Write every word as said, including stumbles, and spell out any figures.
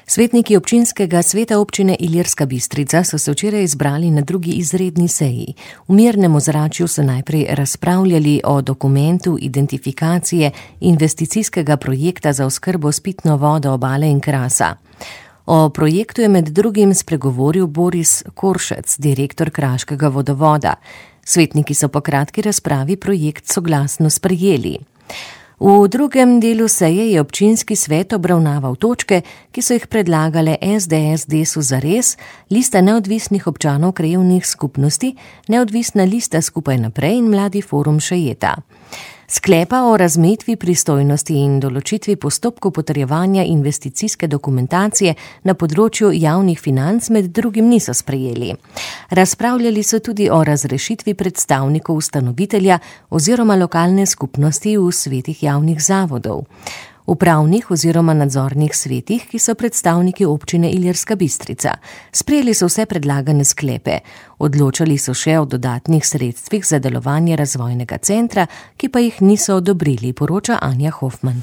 Svetniki občinskega sveta občine Ilirska Bistrica so se včeraj izbrali na drugi izredni seji. V mirnem ozračju so najprej razpravljali o dokumentu identifikacije investicijskega projekta za oskrbo s pitno vodo Obale in Krasa. O projektu je med drugim spregovoril Boris Koršec, direktor Kraškega vodovoda. Svetniki so po kratki razpravi projekt soglasno sprejeli. V drugem delu seje je občinski svet obravnaval točke, ki so jih predlagale es de es Desus zares, lista neodvisnih občanov krajevnih skupnosti, neodvisna lista Skupaj naprej in Mladi forum Šejeta. Sklepa o razmejitvi pristojnosti in določitvi postopkov potrjevanja investicijske dokumentacije na področju javnih financ med drugim niso sprejeli. Razpravljali so tudi o razrešitvi predstavnikov ustanovitelja oziroma lokalne skupnosti v svetih javnih zavodov, upravnih oziroma nadzornih svetih, ki so predstavniki občine Ilirska Bistrica. Sprejeli so vse predlagane sklepe. Odločali so še o dodatnih sredstvih za delovanje razvojnega centra, ki pa jih niso odobrili, poroča Anja Hofman.